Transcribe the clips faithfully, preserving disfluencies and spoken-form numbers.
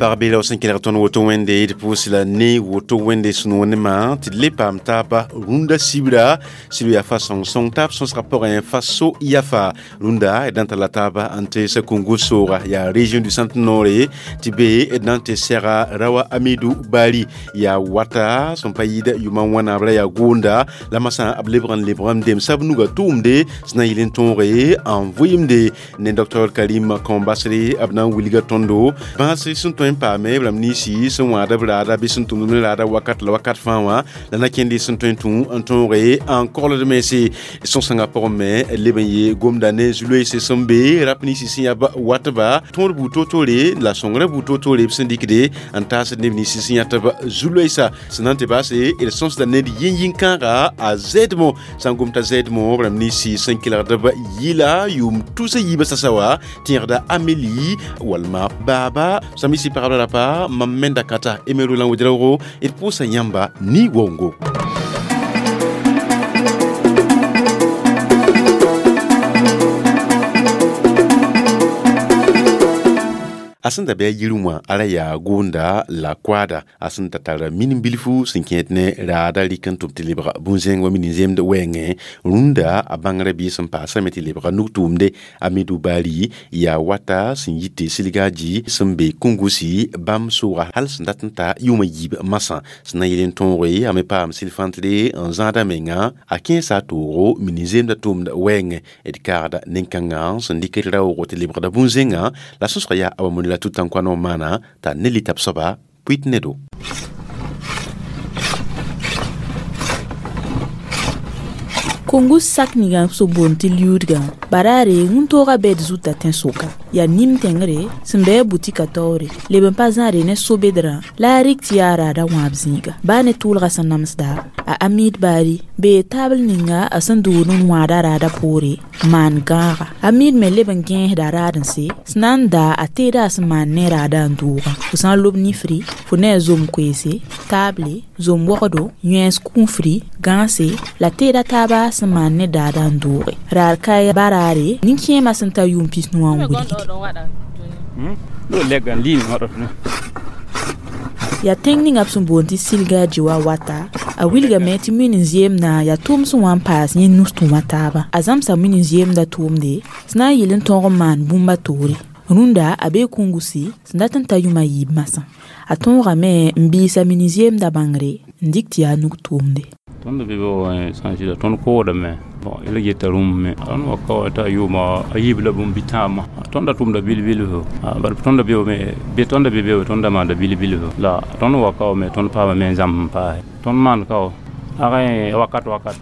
Pagb la sẽn kelg tõnd woto wẽnde d pʋʋs la ne woto wẽnde sũ-noog tɩ d le paam taaba rũndã sibra sib yaa fa sõng-sõng taab sõsgã pʋgẽ fa so yafa rũndã d na n talla taaba n tɩ Sakungu sooga yaa région du centre noore tɩ be d na n tɩ sɛga Rawa Amidu Bari yaa wata sẽn pa yɩɩd yʋma wãna b ra yaa goonda la masã b lebg n lebg n demsa b nuga tʋʋmde sẽn na n yɩl n tõoge n vʋɩɩmde ne docteur Karim Kãombasre b na n wilga tõndo bãas sẽn tõe n paame b rãmb ninsi sẽn wãad b raada bɩ sẽn tʋmd ne raada wakat la wakat fãa wã la na kẽnde sẽn tõe n tũ n tõoge n kogld mense sõs-sõngã pʋgẽ me leb n yee gomda ne zu-loeese sẽn be rap ninsi sẽn yaa watba tõod buud toor-toore la sõngrã buud toor-toore b sẽn dɩkde n taasd neb ninsi sẽn yãtb zu-loeesa sẽn na n tɩ baase d sõsda ned yĩn-yĩn-kãaga a zɛɛdmo sã n gom t'a zɛɛdmo b rãmb ninsi sẽn kelgd b yɩla yʋʋm tusa yiibã sasa wa tẽegda Amélie walma baaba samisi pagb rapa mam menda kata Emeru lan Ouedraogo d pʋʋsa yãmba ni waoongo. A sẽn da bɩ a yir wã a ra yaa goonda la koaada a sẽn da tara min bilfu sẽn kẽed ne raada rɩk n tʋm tɩ lebg bũn-zẽng wa min-zemd wɛɛngẽ rũndã a bãngrã biis sẽn paasame tɩ lebga nug-tʋʋmde Amidou Bari yaa wata sẽn yit tɩ Silgaji sẽn be Kungusi bãmb sooga hal sẽn dat n ta yʋʋmã yiib masã sẽn na n yɩl n tõoge a me paam sɩl-fãntre n zãada menga a kẽesa a toogo min-zemdã tʋʋmd wɛɛngẽ d kaagda nin-kãngã sẽn dɩk raoogo tɩ lebgda bũn-zẽngã la sõsga yaa a wa la tutan kwano mana ta ne litap soaba puit ne do. Kungus sak ninga so boond tɩ liudgã baraare wũntooga bɛd zuta tẽn-soka yaa nim-tẽngre sẽn bɩ a butika taoore leb n pa zãade ne sobedrã la a rɩk tɩ yaa raada wãab zĩiga baa ne tʋʋlga sẽn namsda a Amid Bari bee taabl ninga a sẽn dʋʋd n wãada raada poore maan gãaga Amid me leb n gẽesda raad-n-se sẽn na n daa a teeda a sẽn maan ne raada n dʋʋgã fo sã n lob nifri fo ne a zom koeese taable zom wogdo yẽes kũufri gãase la teeda taaba sẽn maan ne daada n dʋʋge raad kae baraare nin-kẽemã sẽn ta yʋʋm pis nu wã n wilgde yaa tẽng ninga b sẽn boond tɩ Silgaji wa wata a wilgame tɩ min n zeemdã yaa tʋʋm sẽn wa n paas yẽ nus-tũumã taaba a zãmsa min n zeemdã tʋʋmde sẽn na n yɩl n tõog n maan bũmba toore rũndã a bee Kungusi sẽn dat n ta yʋʋm a yiib masã a tõogame n biisa min n zeemdã bãngre n dɩk tɩ yaa nug-tʋʋmde tõnd be sã n zɩla tõnd koodame bon yel geta rũmb me tõnd wa ka wa t'a yʋʋma a yiib la bũmb bɩ tãabmã tõnd da tʋmda bil-bilfu bala tõnd da beoome be tõnd da be beoome tõnd da maanda bil-bilfu la tõnd wa ka wa me tõnd paama me n zãmb n paase tõnd maan ka wa ag wakat wakat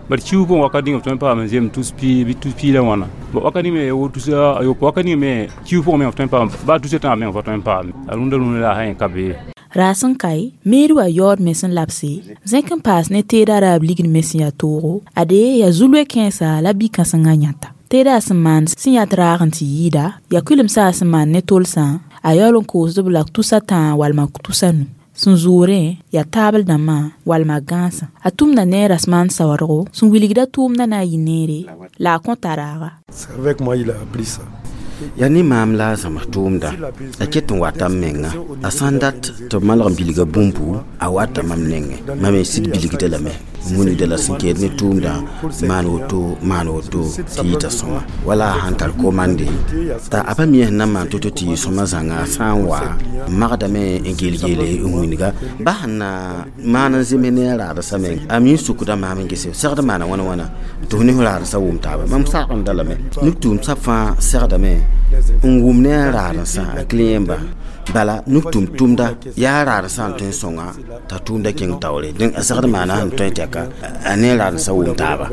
bari kiu pʋgẽ wakat ning b tõe n paam n zem tus pii bɩ tus pii la wãna wakat ning me wo tusa a yopo wakat ning me kiu pʋgẽ me f tõe n paam baa tusa tãab meng fa tõe n paam a rũndã rũndã la a sã ka bee Raas n kae meer wa yaood me sẽn labse zẽk n paas ne teeda raab ligd me sẽn yaa toogo ade yaa zu-loe kẽesa la bi-kãsengã yãta teeda sẽn maan sẽn yat raag n tɩ yɩɩda yaa kʋɩlemsa sẽn maan ne tolsã a yaool n koosd-b la tusa tãa walma tusa nu sẽn zʋʋrẽ yaa taabl dãmbã walma gãasã a tʋmda ne rasmaan saoodgo sẽn wilgda tʋʋmdã na n yɩ neere la a kõta raaga. C'est avec moi il a appris ça. Yaa ne maam la a zãms tʋʋmda a ket n wata m menga a sã n dat tɩ b malg n bilga bũmbu a wata mam nengẽ mam me sɩd bilgda lame n wilgda la sẽn keed ne tʋʋmdã maan woto maan woto tɩ yɩta sõma wala a sãn tar komande t'a a pa mi sẽn na n maan to-to tɩ yɩ sõma zãnga sã n wa n magdame n geel-geele n wĩnga ba sẽn na maan n zems ne a raadsa meng a mi n sukda maam n gese segd maana wãna wãna tɩ f ne f raadsa wʋm taaba mam sagenda lame nug-tʋʋm-sab fãa segdame n wʋm ne a raadensã a clientba bala nug-tʋm tʋmda yaa raadensã n tõe n sõnga t'a tʋʋmda kẽng taoore dẽn a segd maana sẽn tõe tɛka a ne raadensã wʋm taaba.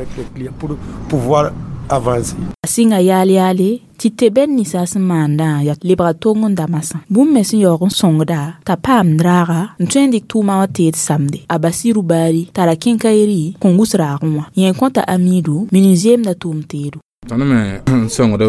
Pour pouvoir avancer. A sɩnga yaal yaale tɩ tebɛd ninsã sẽn maandã yaa lebga tong n da masã bũmb me sẽn yaoog n sõngda t'a paamd raaga n tõe n dɩk tʋʋmã wã teed samde a Basiru Baari tara kẽnkayri Kungus raagẽ wã yẽ kõta Amidu min n zeemda tʋʋm teedo. Tõnd me n sõngd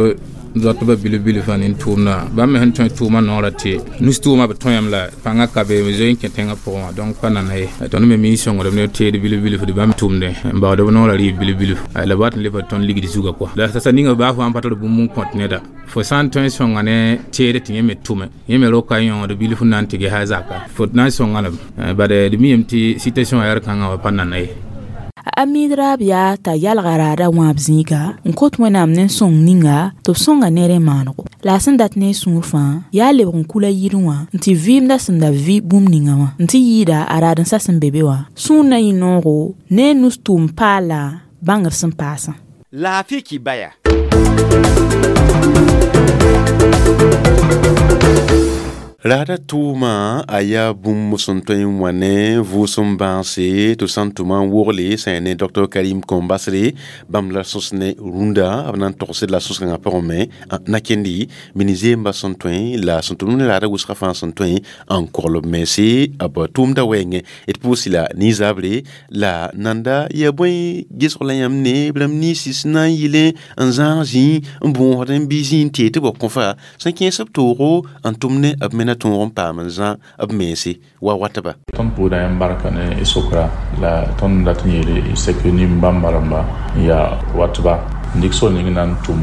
Zoatba bilib-bilf wã nin tʋʋmdã bãmb me sẽn tõe tʋʋmã noorã tɩ nus tʋʋmã b tõe yam la pãngã ka be b zoe n kẽ tẽngã pʋgẽ wã donc pa nana ye tõnd me mi sõngdem ne teed bilib-bilf tɩ bãmb tʋʋmdẽ n baood b noorã rɩɩb bilib-bilf la b wat n lebd tõnd ligd zugã kɔa la sasa ninga baa fo sãn pa tar bũmb n kõt neda fo sã n tõe n sõnga ne teed tɩ yẽ me tʋme yẽ me roka yõod bilf n na n tɩ ges a zaka fo na n sõnga lame bad d mi yem tɩ situation wã yaa kãngã wa pa nana ye. A Amiid raab yaa t'a yalga raada wãab zĩiga n kot Wẽnnaam ne sõng ninga tɩ b sõnga ned n maanego. La a sẽn dat ne a sũur fãa yaa lebg n kula yirẽ wã n tɩ vɩɩmda sẽn da vɩ bũmb ninga wã n tɩ yɩɩda a raad n sa sẽn be be wã sũur na yɩ noogo ne a nus tʋʋm paala bãngr sẽn paasã. Laafɩ kibaya. Raada tʋʋma a yaa bũmb sẽn tõe n wa ne vʋʋsem bãase tɩ sã n tʋma n wogle sẽn yaa ne Doctor Karim Kombasre bãmb la sõs ne rũndã b na n togsd la sõs-kãngã pʋgẽ me na kendi mini-zeemba sẽn tõe la sẽn tʋmd ne raada wʋsgã fãa sẽn tõe n kogl b mense b tʋʋmda wɛɛngẽ d pʋʋs la nin-zabre la nanda yaa bõe gesg la yãmb ne b rãmb ninsi sẽn na n yɩlẽ n zãag zĩig n bõosd n bɩ zĩig n tee tɩ b kõfa sẽn kẽes b toogo n tʋm ne b me na tõog n paam n zã b mense wa watba. Tõnd pʋʋda yãmb barka ne y sokra la tõnd dat n yeele sek nin-bãmba rãmba n yaa watba n dɩk sor ning na n tʋm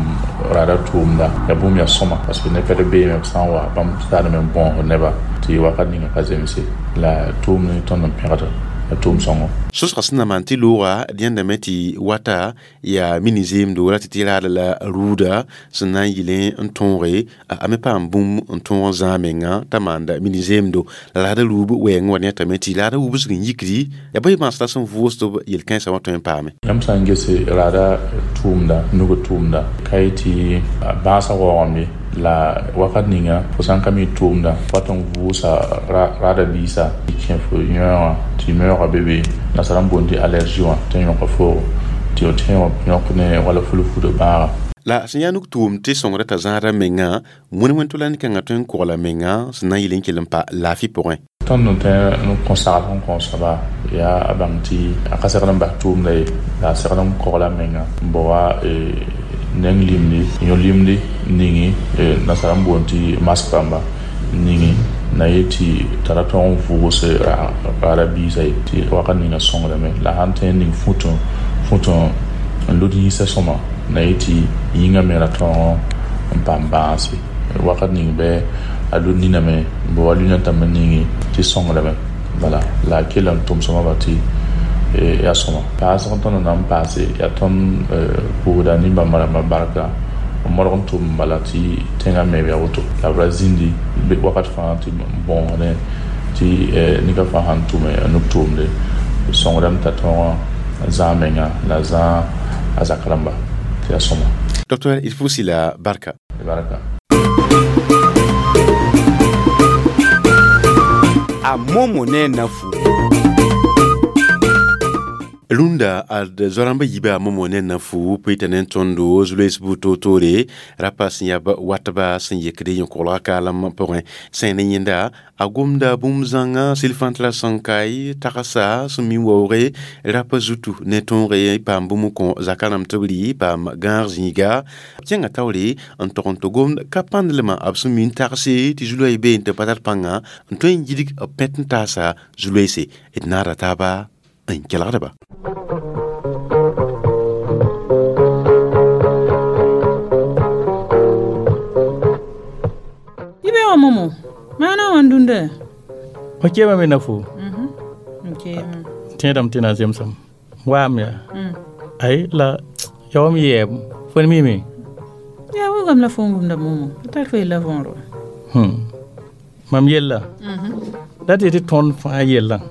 raada tʋʋmda yaa bũmb yaa sõma parce que neb pɛd beeme b sã n wa bãmb taadame n bõosd neba tɩ wakat ninga ka zemse la tʋʋm ne tõnd n pẽgda la tʋʋm sõngo. Sõsga sẽn na maan tɩ looga d yãndame tɩ wata yaa mini-zeemdo ra tɩ tɩ raada la rʋʋda sẽn na n yɩlẽ n tõoge a me paam bũmb n tõog n zãag menga t'a maanda mini-zeemdo la raada ruub wɛɛngẽ wa yãtame tɩ raada wubsg n yikdi yaa bõe bãas la sẽn vʋʋsd b yel-kãensã wã tõe n paame. Yãmb sã n ges raada tʋʋmda nug tʋʋmda ka yetɩ bãasã waoogame la wakat ninga fo sã n ka mi tʋʋmda wat n vʋʋsa raada biisa tɩ kẽ fo yõoga tɩ meoogã be be nasara n boond tɩ allergie wã tɩ n yõka foogo tɩ f tẽ yõk ne wala fulfudã bãaga. La sẽn yaa nug-tʋʋm tɩ sõngrã t'a zãada menga wẽn wẽn tʋ-la kãngã tõe n kogla menga sẽn na n yɩl n kell n pa laafɩ pʋgẽ. Tõnd n tõe n kõ sagl sẽn kõ soaba yaa a bãng tɩ a ka segd n bas tʋʋmda ye la a segd n kogla menga n bao wa neng limdi yõ limdi ningi nasara n boond tɩ mask rãmba ningi na ye tɩ tara tõog n vʋʋs raada biisã ye tɩ wakat ninga sõngdame la sãn tõe n ning fũtõ fũtõ n lud yĩsã sõma na ye tɩ yĩngã me ra tõog n paam bãase wakat ning bɩ a lud niname n bao wa lunetã me ningi tɩ sõngdame bala la a kell n tʋm sõma ba tɩ yaa sõma paasg tõnd na n paase yaa tõnd pʋʋsda nin-bãmba rãmbã barka n modg n tʋm bala tɩ tẽngã meeb yaa woto la b ra zĩndi wakat fãa tɩ bõosdẽ tɩ nika fãa sãn tʋme a nug tʋʋmde sõngdame t'a tõog n zãag menga la zãag a zak rãmba tɩ yaa sõma. Docteur d pʋʋs la barka. Barka. A Momo ne nafu. Rũndã ad zoa-rãmbã yiibã a Momo ne nafu pʋɩta ne tõndo zu-loees buud toor-toore rapa sẽn yaa watba sẽn yekd yẽ-koglgã kaalem pʋgẽ sẽn ne yẽnda a gomda bũmb zãnga silfãntla sẽn kae tagsa sẽn mi waooge rapa zutu ne tõoge paam bũmb n kõ zaka rãmb tɩ b rɩ paam gãag zĩiga kẽnga taoore n tog n tɩ gomd ka pãndlmã b sẽn mi n tagse tɩ zu-loɛɛ bee n tɩ pa tar pãnga n tõe n yidg b pẽt n taasa zu-loeese d naada taaba n kelgdba. Ibe wa Momo maana wã n dũnda fo keemame na fo n keema tẽedame tɩ na n zemsame waam yaa ay la ya wam yɛɛb fo ne mime yaa wilgame la fo n gomda Momo a tar fo yella võor wa mam yella la tɩ tɩ tõnd fãa yellã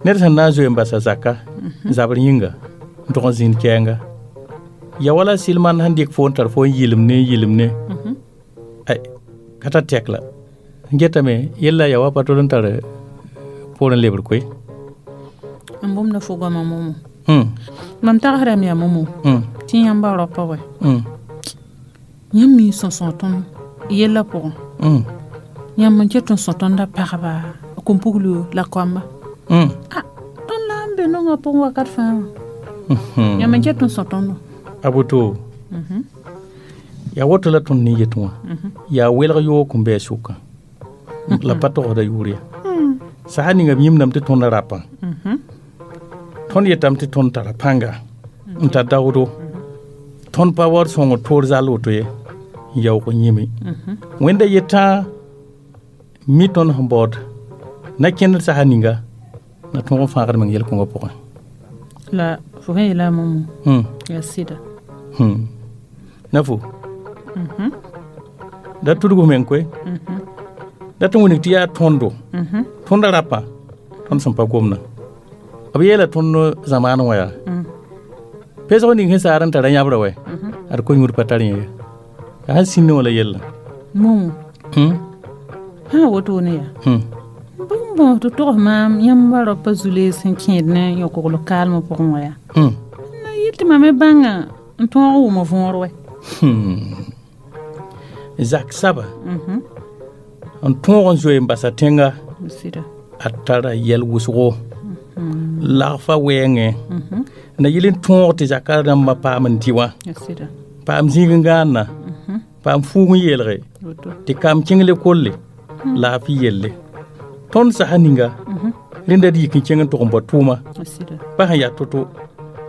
ned sẽn na n zoe n basa zaka zabr yĩnga n tog n zĩnd kɛɛnga ya wala silman sẽn dɩk fo n tar fo n yɩlem ne n yɩlem ne ay ka tar tɛk la n getame yella ya wa pa tol n tar poorẽ lebr koe n bũmb la fo goamã Momo mam tagsdame yaa Momo tɩ yãmba raopa wɛ yãmb mi n sõsõg tõnd yella pʋgẽ yãmb n ket n sõ tõnda pagba kom-puglo la koamba ah tõnd la n be nongã pʋgẽ wakat fãa wã yãmb n ket n sõ tõndo a woto Yaa woto la tõnd ne yet wã yaa welg yoog n bɩ a sʋkã la pa togsda yʋʋr ye sasa ninga b yĩmdame tɩ tõnd rapã tõnd yetame tɩ tõnd tara pãnga n tar daoodo tõnd pa waood sõngr toor zall woto ye n yaoog n yĩme wẽnda yetã mi tõnd sẽn baood na kẽndr sasa ninga na tõog n fãagd meng yel-kõngã pʋgẽ la fo sẽn yeela momo yaa sɩda na fo da tudg f meng koe da tɩ wilg tɩ yaa tõndo tõndã rapã tõnd sẽn pa gomdã b yeela tõnd zamaan wã yaa pesg ning sẽn saar n tara yãbrã wɛ ad ko-yũud pa tar yẽ ye yaa sẽn sĩndẽ wã la yella momo sã wotone yaa bũmb bõs tɩ togs maam yãmb raopa zu-lees sẽn kẽed ne yõ-kogl kaalmã pʋgẽ wã yaa na yɩl tɩ mam me bãnga n tõog n wʋm võor wɛ zak saba n tõog n zoe n basa tẽnga a tara yɛl wʋsgo lagfa wɛɛngẽ na yɩl n tõog tɩ zaka rãmbã paam n dɩ wã paam zĩig n gãanna paam fuug n yeelge tɩ kaam kẽng lekolle laafɩ yelle tõnd sasa ninga rẽnda d yik n kẽng n tʋg n bao tʋʋma pa sẽn yaa to-to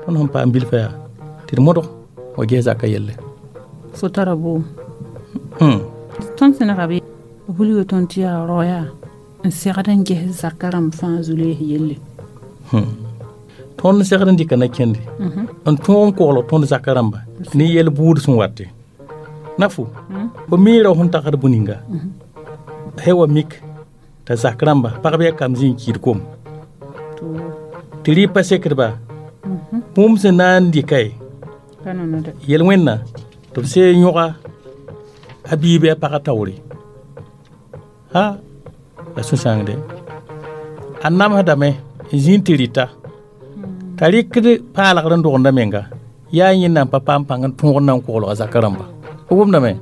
tõnd sẽn paam bilfã yaa tɩ d modg wa ges zaka yelle fo tara boom tõnd sẽnega b wilga tõnd tɩ yaa rao yaa n segd n ges zaka rãmb fãa zu-lees yelle tõnd segd n dɩka na kẽnde n tõog n koglg tõnd zaka rãmba ne yɛl buud sẽn wate na fo fo miira sẽn tagsd bũ-ninga he wa mik t'a zak rãmba pagb yaa kam zĩ n kiid kom tɩ rɩ pa sekdba bũmb sẽn na n dɩka ye yel-wẽnna tɩ b see yõga a biib a pagã taoore ha la sũ-sãangde a namsdame n zĩ n tɩ rɩta t'a rɩkd paalgr n dogenda menga yaa yẽnda n pa paam pãng n tõog n na n koglga zaka rãmba fo wʋmdame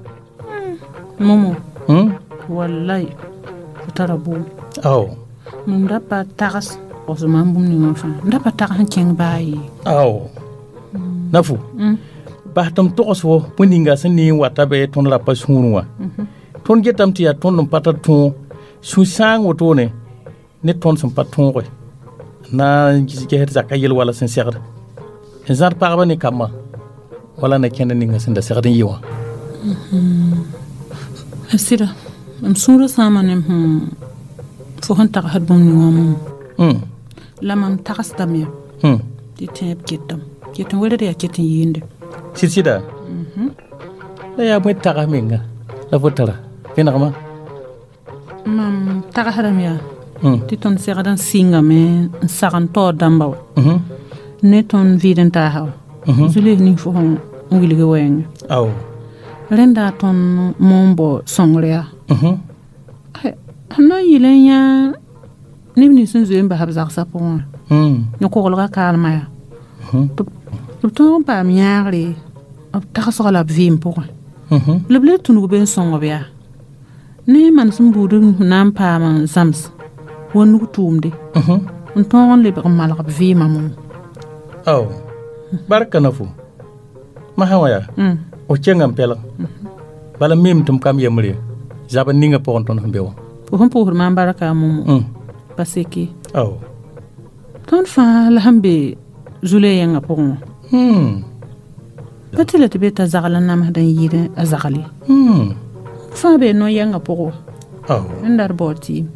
momo wallay fo tara boom ao mam da pa tags f maam bũmb ninga fãa m da pa tags n kẽng baa ye ao na fo bas tɩ m togs fo bõe ninga sẽn ne n wata be tõnd rapa sũurẽ wã tõnd getame tɩ yaa tõnd n pa tar tõog sũ-sãang wotone ne tõnd sẽn pa tõoge na n gesd zaka yel wala sẽn segd n zãd pagba ne kambã wala na kẽnd ninga sẽn da segd n yɩ wã sɩda m sũurã sãama ne fo sẽn tagsd bũmb ning wã momo la mam tagsdame ya tɩ tẽeb ketame ket n welgd yaa ket n yɩɩnde sɩd sɩda la yaa bõe tags menga la fo tara vẽnegmã mam tagsdame yaa tɩ tõnd segd n sɩngame n sagn taoor dãmba wa ne tõnd vɩɩd n taasa wa zu-lees ning fo sẽn wilg wɛɛngẽ ao rẽnda tõnd moon bao sõngr yaa sẽn na n yɩl n yã neb nins sẽn zoe n bas b zagsã pʋgẽ wã yõ-koglgã kaalmã yaa tɩ b tõog n paam yãagre b tagsg la b vɩɩm pʋgẽ la b le tũnug be n sõng b yaa ne manesem buud n na n paam n zãms wa nug tʋʋmde n tõog n lebg n malg b vɩɩmã momo ao barka na fo masã wã yaa f kẽnga n pɛlg bala m mim tɩ m kam yembre zabr ninga pʋgẽ tõnd sẽn be wã fo sẽn pʋʋsd maam barka momo pa seke ao tõnd fãa la sẽn be zu-le yẽngã pʋgẽ wã pa tɩ la tɩ be t'a zagl n namsd n yɩɩd a zagle fãa bee no-yɛngã pʋgẽ wã rẽnda d baood tɩɩm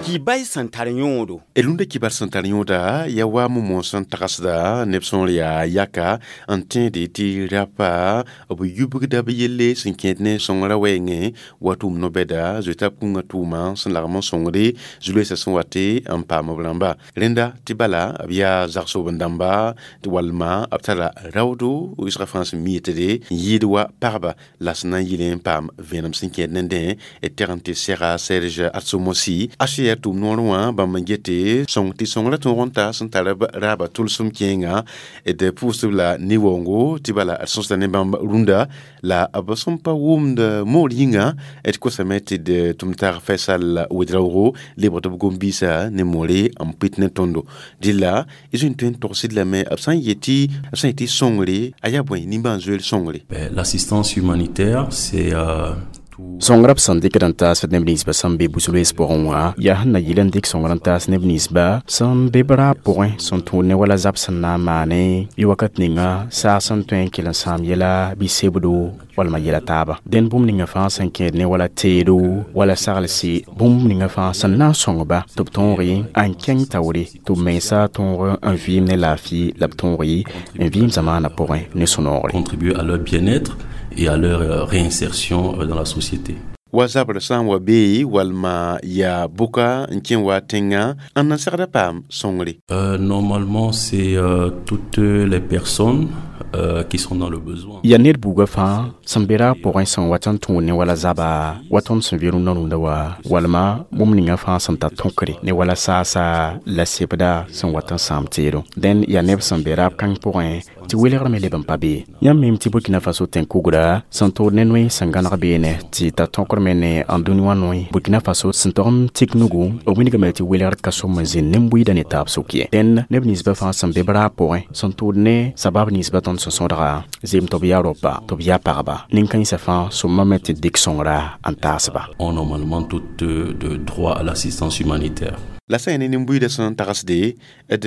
Kibay sẽn tar yõodo. Rũndã kibar sẽn tar yõoda yaa wa momo sẽn tagsda neb sõor yaa yaka n tẽede tɩ rapa b yubgda b yelle sẽn kẽed ne sõngrã wɛɛngẽ wa tʋʋm no-bɛda zoeta b kũngã tʋʋma sẽn lagm n sõngde zu-loeesã sẽn wate n paam b rãmba rẽnda tɩ bala b yaa zagsoben-dãmba tɩ walma b tara raoodo wɩsgã fãa sẽn mi yetde n yɩɩd wa pagba la sẽn na n yɩl n paam vẽenem sẽn kẽed nendẽ d teg n tɩ sega Serge Atsomosi A C R tʋʋm gom noor wã bãmb n gete sõng tɩ sõngrã tõog n ta sẽn tar b raaba tʋlsem kẽenga d pʋʋsd la ne-waoongo tɩ bala d sõsda ne bãmb rũndã la b sẽn pa wʋmd moor yĩnga d kosame tɩ d tʋm tag Faisal Ouedraogo lebg tɩ b gom-biisã ne moore n pɩt ne tõndo dɩlla y zoe n tõe n togsd lame b sã n yetɩ b sã n yetɩ sõngre a yaa bõe nimbãan-zoeer sõngre. L'assistance humanitaire, c'est euh, Sõngrã b sẽn dɩkd n taasd neb ninsbã sẽn be bu-loees pʋgẽ wã yaa sẽn na yɩl n dɩk sõngr n taas neb ninsba sẽn be b raab pʋgẽ sẽn tũud ne wala zab sẽn na n maane bɩ wakat ninga saag sẽn tõe n kell n sãam yɛla bɩ sebdo walma yɛla taaba dẽnd bũmb ninga fãa sẽn kẽed ne wala teedo wala saglse bũmb ninga fãa sẽn na n sõngba tɩ b tõoge n kẽng taoore tɩ b mensa tõog n vɩɩm ne laafɩ la b tõoge n vɩɩm zamaanã pʋgẽ ne sũ-noogre. Contribuer à leur bien-être et à leur euh, réinsertion euh, dans la société. Wa zabr sã n wa bee walma yaa bʋka n kẽ wa tẽngã n na segda paam sõngre. Euh, normalement, c'est euh, toutes les personnes euh, qui sont dans le besoin. Yaa ned buugã fãa sẽn be raab pʋgẽ sẽn wat n tũud ne wala zaba wa tõnd sẽn vɩ rũndã rũndã wa walma bũmb ninga fãa sẽn tar tõkre ne wala saasa la sebda sẽn wat n sãam teedo dẽn yaa neb sẽn be raab kãng pʋgẽ tɩ welgr me leb n pa be yãmb mim tɩ Burkina Faso tẽn-kugra sẽn tood ne noe sẽn gãneg beene tɩ tar tõkr me ne n dũni wã noe Burkina Faso sẽn tog n tik nugu b wilgame tɩ welgr ka som n zĩnd nin-buiidã ne taab sʋk ye dẽnd neb ninsbã fãa sẽn be b raab pʋgẽ sẽn tʋʋd ne sabab ninsbã tõnd sẽn sõdga zeem tɩ b yaa raopa tɩ b yaa pagba nin-kãensã fãa sõmame tɩ dɩk sõngra n taasba. Ont normalement tout de, de droit à l'assistance humanitaire. La sã n yaa ne nin-buiidã sẽn tagsde d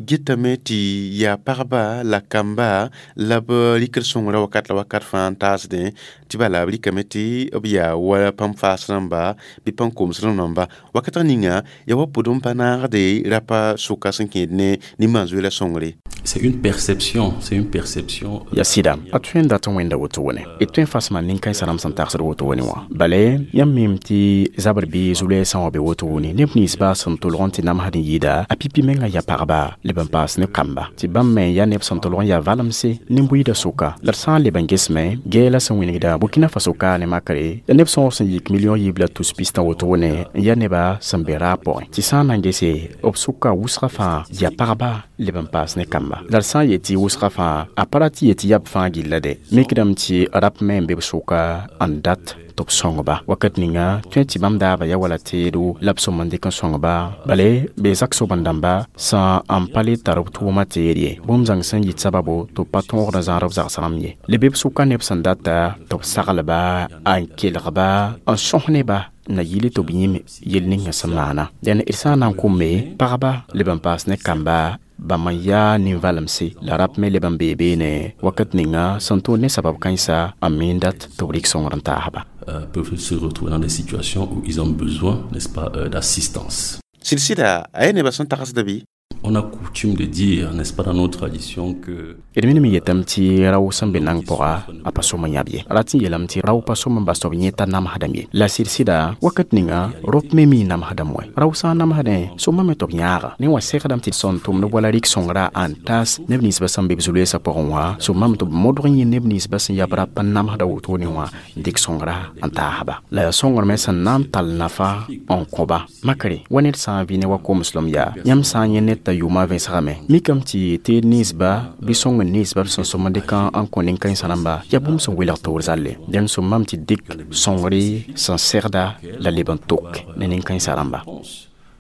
getame tɩ yaa pagba la kamba la b rɩkd sõngrã wakat la wakat fãa n taasdẽ tɩ bala b rɩkame tɩ b yaa wa pãmb faas rãmba bɩ pãn koms rãmb wakat ninga yaa wa pʋd n pa naagde rapa sʋka sẽn kẽed ne nimbãan-zoeerã sõngre. C'est une perception, c'est une perception. Ya sɩda a tõe n dat n wẽnda woto wẽne d tõe n fasma nin-kãensã rãmb sẽn tagsd woto wẽne wã bale yãmb mim tɩ zabr bɩ zu-loeesã wã be woto wʋne neb ninsba sẽn tolg n tɩ namsd n yɩɩda a pipi menga ya pagba leb n paas ne kamba tɩ bãmb me yaa neb sẽn tolg n yaa valemse nin-buiidã sʋka la d sã n leb n gesme gɛɛla sẽn wĩnigda Burkina Faso ka ne makre ya neb sõor sẽn yik million yiib la tus pistã woto wẽne n yaa neba sẽn be raab pʋgẽ tɩ sã n na n gese b sʋka wʋsgã fãa yaa pagba leb n paas ne kamba la d sã n yetɩ wʋsgã fãa a pa ra tɩ yetɩ yab fãa gilla de mikdame tɩ rap me n be b sʋka n dat tɩ b sõngba wakat ninga tõe tɩ bãmb daaba ya wala teedo la b sõm n dɩk n sõngba bale bee zak soben-dãmba sã n pa le tar b tʋʋmã teed ye bũmb zãng sẽn yit sababo tɩ b pa tõogd n zãad b zagsrãmb ye le be b sʋka neb sẽn data tɩ b saglba n kelgba n sõs neba na yɩle tɩ b yĩm yel ninga sẽn maana dẽn d sã n na n kʋme pagba leb n paas ne kamba bãmb n yaa nin-valemse la rap me leb n bee beene wakat ninga sẽn tʋʋd ne sabab kãensa n miin dat tɩ b rɩk sõngr n taasba. Euh, peuvent se retrouver dans des situations où ils ont besoin, n'est-ce pas, euh, d'assistance. Sɩd-sɩda a yaa nebã sẽn tagsda bɩ? On a coutume de dire, n'est-ce pas, dans nos traditions que D minime yetame tɩ rao sẽn be nang pʋga a pa sõm n yãb ye rat n yeelame tɩ rao pa sõm n bas tɩ b yẽta namsdame ye la sɩd-sɩda wakat ninga rop me mi namsdame wɛ rao sã n namsdẽ sõmame tɩ b yãaga ne wã segdame tɩ sẽn tʋmd wala rɩk sõngra n taas neb ninsbã sẽn be b zu-loeesã pʋgẽ wã sõmame tɩ b modg n yẽ neb ninsbã sẽn yab rap n namsda wotone wã n dɩk sõngra n taasba la yaa sõngr me sẽn na n tall nafa n kõba makre wa ned sã n vɩ ne wa komeslem yaa yãmb sã n yẽ ned t'a yʋʋmã vẽsgame mikame tɩ teed ninsba bɩ sõng n ninsba b sẽn sõm n dɩk n kõ nin-kãensã rãmba yaa bũmb sẽn welg toor zalle dẽnd sõmame tɩ dɩk sõngre sẽn segda la leb n tok ne nin-kãensã rãmba.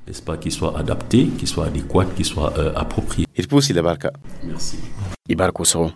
N'est-ce pas, qui soit adapté, qui soit adéquat, qui soit euh, approprié. D pʋʋs la barka. Merci. Y bark wʋsgo.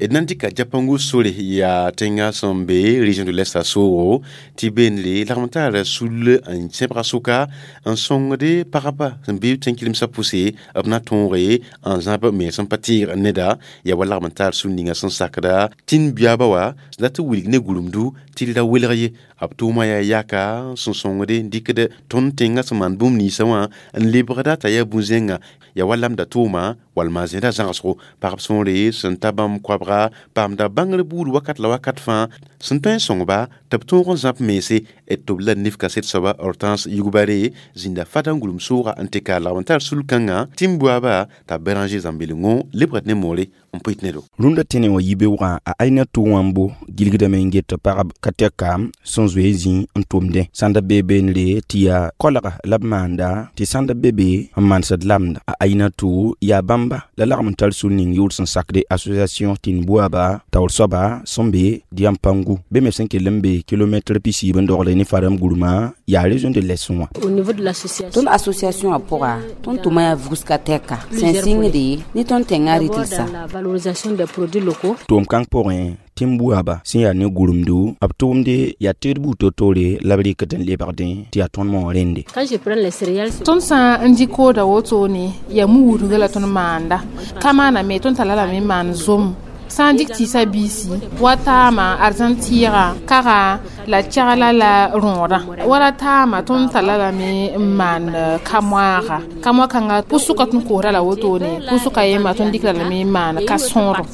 D na n dɩka Japangu sore yaa tẽngã sẽn be région de l'Est a soogo tɩ beenre lagm taara sul n sẽbga sʋka n sõngde pagba sẽn be tẽn-kɩremsã pʋse b na tõoge n zãb me sẽn pa tɩɩg neda yaa wa lagm n taar sul ninga sẽn sakda tĩn biaaba wa sẽn dat n wilg ne gũrumdu tɩ d ra welg ye b tʋʋmã yaa yaka sẽn sõngde n dɩkd tõnd tẽngã sẽn maan bũmb ninsã wã n lebgda t'a yaa bũ-zẽnga yaa wa lamda tʋʋma walma zẽeda zãgsgo pagb sõore sẽn ta bãmb koabga wʋsga paamda bãngr buud wakat la wakat fãa sẽn tõe n sõngba tɩ b tõog n zãb mense d tɩ b la nif kaset soaba Hortense Yougbaré zĩnda fada n gʋlem sooga n tɩ ka lagm n tar sul-kãngã tɩ n buaba t'a Béranger Zãmbelengõ lebgd ne moore n pʋɩt ne do. Rũndã tẽne wã yibeoogã a Ainatou Wãmbo gilgdame n get pagb ka tɛka sẽn zoe zĩ n tʋmdẽ sãn da bee beenre tɩ yaa koalga la b maanda tɩ sãn da be be n manesd lamda a Ainatou yaa bãmba la lagm n tar sul ning yʋʋr sẽn sakde association tɩ n buaba taoor soaba sẽn be Diampangu be me sẽn kell n be kilomɛtr pisiib n dogl ne Faram gurmã yaa région de l'Est wã. Au niveau de l'association tõnd association wã pʋga tõnd tʋma yaa vugska tɛka sẽn sɩngde ne tõnd tẽngã rɩtɩlsa la valorisation des produits locaux. Tʋʋm kãng pʋgẽ tɩ n buaba sẽn yaa ne gurumdu b tʋʋmde yaa teed buud to-toore la b rɩkd n lebgdẽ tɩ yaa tõnd moog rẽnde. Quand je prends les céréales, tõnd sã n dɩ kooda wotone yaa mu-wudga la tõnd maanda ka maaname tõnd tara lame n maan zom sã n dɩk tɩɩsã biisi wa taama arzãn tɩɩga kaga la kɛgla la rõodã wala taama tõnd tara lame n maan ka-moaaga ka-moa-kãnga pʋsʋka tõnd koosda la wotone pʋsʋka yemba tõnd dɩkra lame n maan ka-sõodo.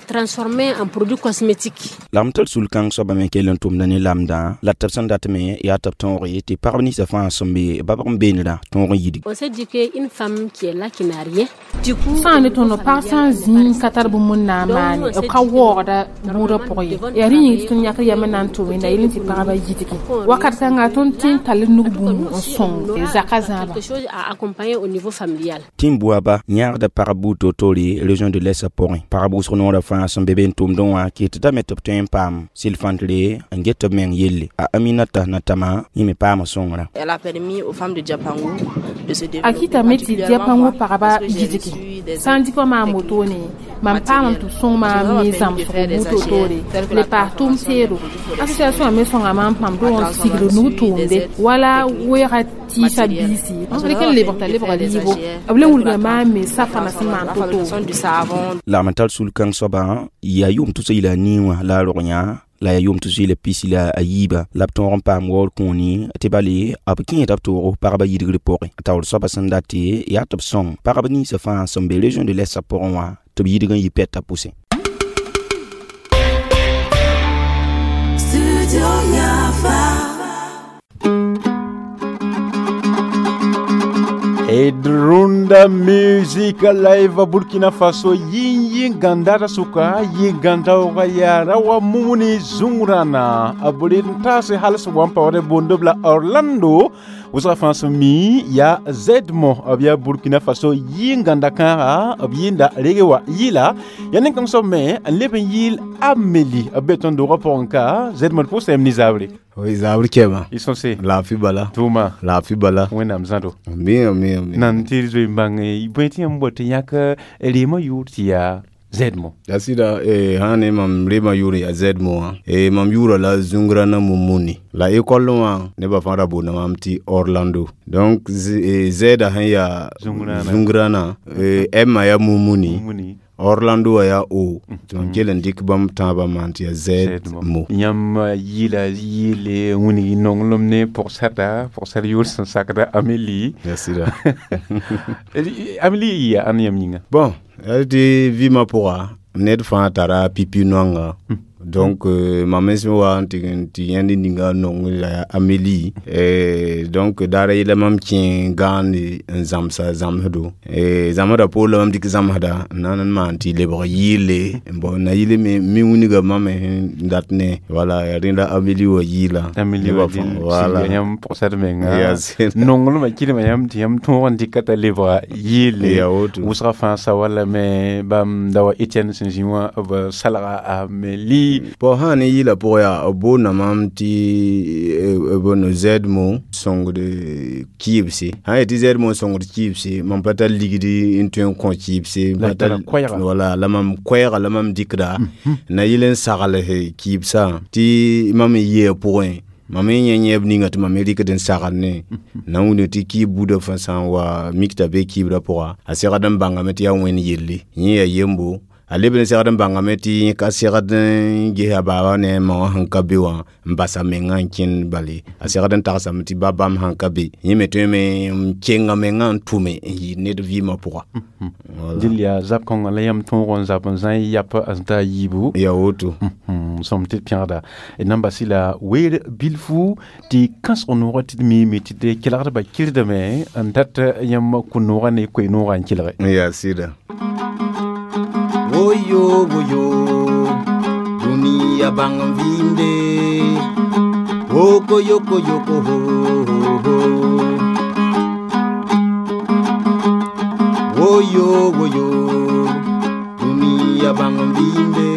Transformé en produit cosmétique. La m tar sul-kãng soaba me kell n tʋmda ne lamdã la tɩ b sẽn dat me yaa tɩ b tõog ye tɩ pagb ninsã fãa sẽn be babg n beenrã tõog n yidg. On s'est dit qu'une femme qui est là, qui n'a rien, du coup, sã n ne tõnd pag sã n zĩig n ka tar bũmb n na n maane b ka waoogda bũudã pʋgẽ ye yaa rẽ yĩng tɩ tõnd yãkd yam n na n tʋm la yel tɩ pagba yidgi wakat kãnga tõnd tẽ n tall nug bũmb n sõng zakã zãaba. Quelque chose à accompagner au niveau familial. Tɩ n buaba yãagda pagb buud to-toore région de l'Est pʋgẽ pagb wʋsg noorã fãa sẽn be be n tʋmdẽ wã kɩtdame tɩ b tõe n paam sɩl-fãntre n get b meng yelle a Aminata Natama yẽ me paama sõngrã. Elle a permis aux femmes de Diapangou de se A développer. kɩtame tɩ Diapango pagba yidgi sã n dɩk wa maam wotone mam paamame tɩ b sõng maam ne zãmsgo buud to-toore le paas tʋʋm teedo association me sõnga maam pãmb dog n sigd nug tʋʋmde wala weega tɩɩsã biisi rɩk n lebg t'a lebga liibo b le wilga maam me safana sẽn maan to-toore. Du savon. Lagm n tar sul-kãng soabã yaa yʋʋm tʋsa yila a nii wã la a rog yã la yaa yʋʋm tʋs yila pisi la a yiiba la b tõog n paam waoor kũuni tɩ bale b kẽeda b toogo pagba yidgr pʋgẽ taoor soabã sẽn date yaa tɩ b sõng pagb ninsã fãa sẽn be région de l'Est pʋgẽ wã tɩ b yidg n yɩ pɛtã pʋsẽ. Studio Yafa. Runda Music Live Burkina Faso yin yin gandara suka yin ganda wa yara wa mumuni zungurana aburin tase halas wampa wale bondobla Orlando wʋsga fãa sẽn mi yaa Zedmo b yaa Burkina Faso yin ganda kãaga b yɩnda rege wa yɩla yaa nen-kãng soab me n leb n yɩɩl Amélie b be tõnd doogã pʋgẽ ka Zedmo d pʋʋsame ne zabre. Oui, zabr kɛma. I sõse. Laafɩ bala. Tʋʋma. Laafɩ bala. Wẽnnaam zãdo. Mi mi mi. Nan tɩ zoe n bãng bõe tɩ yãmb bot tɩ yãk reemã yʋʋr tɩ yaa Zedmo. Ya sɩda eh, sã ne mam reemã yʋʋr yaa Zedmo wã eh, mam yʋʋra la Zungrana Mumuni la école wã nebã fãa ra boonda mam tɩ Orlando donc eh, zɛɛda sẽn yaa Zungrana eh, M yaa Mumuni, Mumuni. Orlando wã yaa O tɩ mam kell n dɩk bãmb tãabã maan tɩ yaa Zedmo. Yãmb yɩla yɩɩle wĩneg nonglem ne pʋgsarda pʋgsar yʋʋr sẽn sakda Amélie. Ya sɩda. Amélie yɩ yaa ãn yãmb yĩnga? Bon, yaa tɩ vɩɩmã pʋga ned fãa tara pipi noanga donc euh, mam me sẽn wa n tɩ tɩ yãnd ninga nong la Amélie eh, donc daar yela mam kẽ gãande n zãmsa zãmsdo eh, zãmsdã poor la mam dɩk zãmsda n na n maan tɩ lebg yɩɩle bon na yɩle me mi wĩnga mam me sẽn dat ne voilà yaa rẽnda Amélie wa yɩɩla Amélie wa voilà yãmb pʋgsar menga Ya sɩda. nonglmã kɩdmã yãmb tɩ yãmb tõog n dɩka t'a lebga yɩɩle Ya woto. wʋsga fãa sa wala me bãmb da wa Etienne sẽn zĩ wã b salga Amélie. Bon sã ne yɩɩla pʋgã yaa b boonda mam tɩ bondo Zedmo sõngd kɩɩbse sã n yet tɩ Zedmo sõngd kɩɩbse mam pa tar ligdi n tõe n kõ kɩɩbse La tara koɛɛga. wala la mam koɛɛga la mam dɩkda na yɩl n sagls kɩɩbsã tɩ mam n yɩa pʋgẽ mam n yẽ yẽb ninga tɩ mam rɩkd n sagl ne na n wilg tɩ kɩɩb buudã fãa sã n wa mik t'a be kɩɩbrã pʋga a segd n bãngame tɩ yaa wẽnd yelle yẽ yaa yembo. A leb n segd n bãngame tɩ yẽ ka segd n ges a baaba ne a ma wã sẽn ka be wã n bas a mengã n kẽnd bale. A segd n tagsame tɩ ba bãmb sãn ka be yẽ me tõeme n kenga mengã n tʋme n yɩɩd ned vɩɩmã pʋga. Dɩl yaa zab kõnga la yãmb tõog n zab n zã y yap a sẽn ta a yiibu. Ya woto. Sõm tɩ d pẽgda d na n bas-y la weer bilfu tɩ kãsg noogã tɩ d miime tɩ d kelgdbã kɩrdame n dat yãmb kũ-noogã ne koe-noogã n kelge. Ya sɩda. Woyo woyo duniya bãng n vɩɩmde woko yoko yoko ho ho woyo woyo duniya bãng n vɩɩmde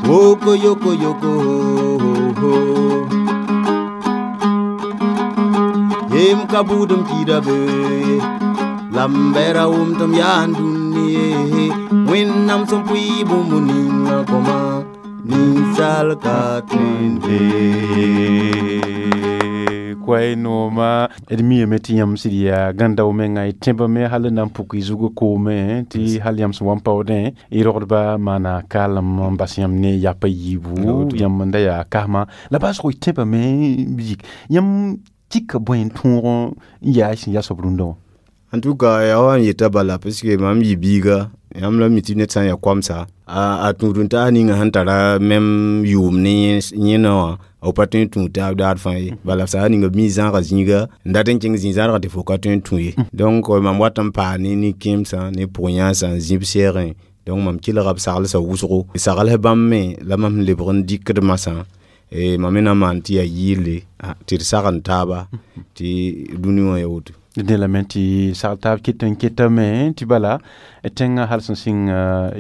woko yoko yoko ho ho yem ka buudem kɩɩda be la m bɛra wʋm tɩ m yaa n dũni ye wẽnnaam sẽn pʋɩ bũmb ninga kõma ninsaal ka tõende. Koay nooma d miame tɩ yãmb sɩd yaa gãn-dao menga y tẽbame hal n na n puk y zug koome tɩ hal yãmb sẽn wa n paoodẽ y rogdba maana kaalem n bas yãmb ne yap a yiibu yãmb n da yaa kasma la baasgo y tẽbame yik yãmb kɩka bõe n tõog n yaa y sẽn yaa soab rũndã wã. En tout cas, yaa wa n yeta bala parce que mam yɩ biiga yãmb la mi tɩ ned sã n yaa koamsa a tũud n taas ninga sẽn tara mem yʋʋm ne yẽna wã b pa tõe n tũ taab daar fãa ye bala saa ninga b mi zãaga zĩiga n dat n kẽng zĩ-zãadgã tɩ fo ka tõe n tũ ye donc mam wat n paa ne nin-kẽemsã ne pʋg-yãasã n zĩ b sɛɛgẽ donc mam kelga b saglsã wʋsgo sagls bãmb me la mam sẽn lebg n dɩkd masã mam me na n maan tɩ yaa yɩɩle tɩ d sagn taaba tɩ dũni wã ya woto. Dẽ lame tɩ sagl taab ket n ketame tɩ bala tẽngã hal sẽn sɩng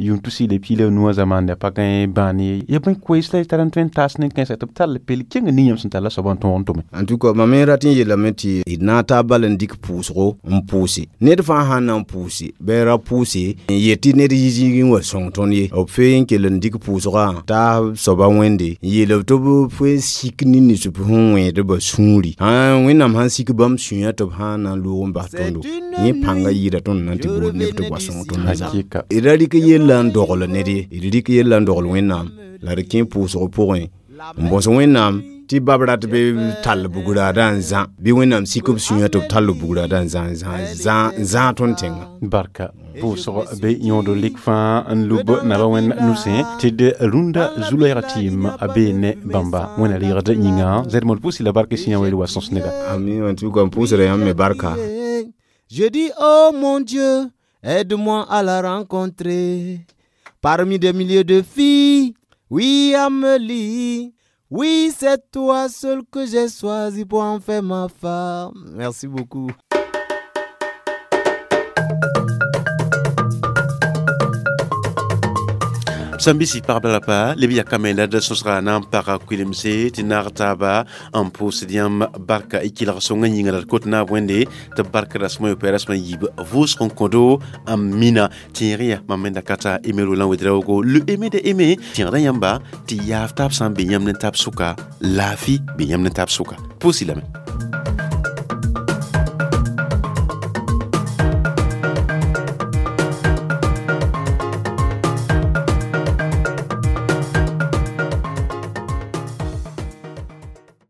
yʋʋm tus-y la piig la nuwã zamaande a pa gãe bãan ye ya bõe koees la y tar n tõe n taas nin-kãensã tɩ b tall pel kẽng ning yãmb sẽn talla soabã n tõog n tʋme. En tout cas mam me rat n yeelame tɩ d na n taab bal n dɩk pʋʋsgo n pʋʋse ned fãa sãn na n pʋʋse bɩ ra pʋʋse n yet tɩ ned yi zĩigẽ n wa sõng tõnd ye b fee n kell n dɩk pʋʋsgã taab soaba wẽnde n yeel b tɩ b fee sik ne nins b sẽn wẽed ba sũuri wẽnnaam sãn sik bãmb sũyã tɩ b sãn na n loog n bas tõndo yẽ pãnga yɩɩda tõnd na n tɩ bood neb tɩ b wa sõng tõnd zã. D ra rɩk yella n dogl ned ye d rɩk yella n dogl wẽnnaam la d kẽ pʋʋsg pʋgẽ n bõs wẽnnaam tɩ bab rat bɩ tall bugraadã n zã bɩ wẽnnaam sik b sũyã tɩ b tall bugraadã n zã n zãag tõnd tẽngã. Barka pʋʋsg be yõod lik fãa n lub naba wẽnd nusẽ tɩ d rũndã zu-loɛɛgã tɩɩm a bee ne bãmba wẽnna reegd yĩnga zɛdmd pʋʋs la bark sẽn yã weel wa sõs neda. Ami en tout cas n pʋʋsda yãmb me barka. Je dis oh mon Dieu, aide-moi à la rencontrer parmi des milliers de filles. Oui, Amélie, oui, c'est toi seul que j'ai choisi pour en faire ma femme. Merci beaucoup. Sãn bɩ pagba la pa leb yakame la d sõsga na n paga kuilemse tɩ naag taaba n pʋʋsd yãmb barka y kelg sõngã yĩnga la d kot naab wẽnde tɩ b barka rasmã yopoe rasmã yiib vʋʋsg n kõdo n mina tẽeg ya mam me da ka t'a Aimé Roland Ouédraogo le aimé de aimé tẽegda yãmba tɩ yaaf taab sã n be yãmb ne taab sʋka laafɩ be yãmb ne taab sʋka pʋʋs-y lame.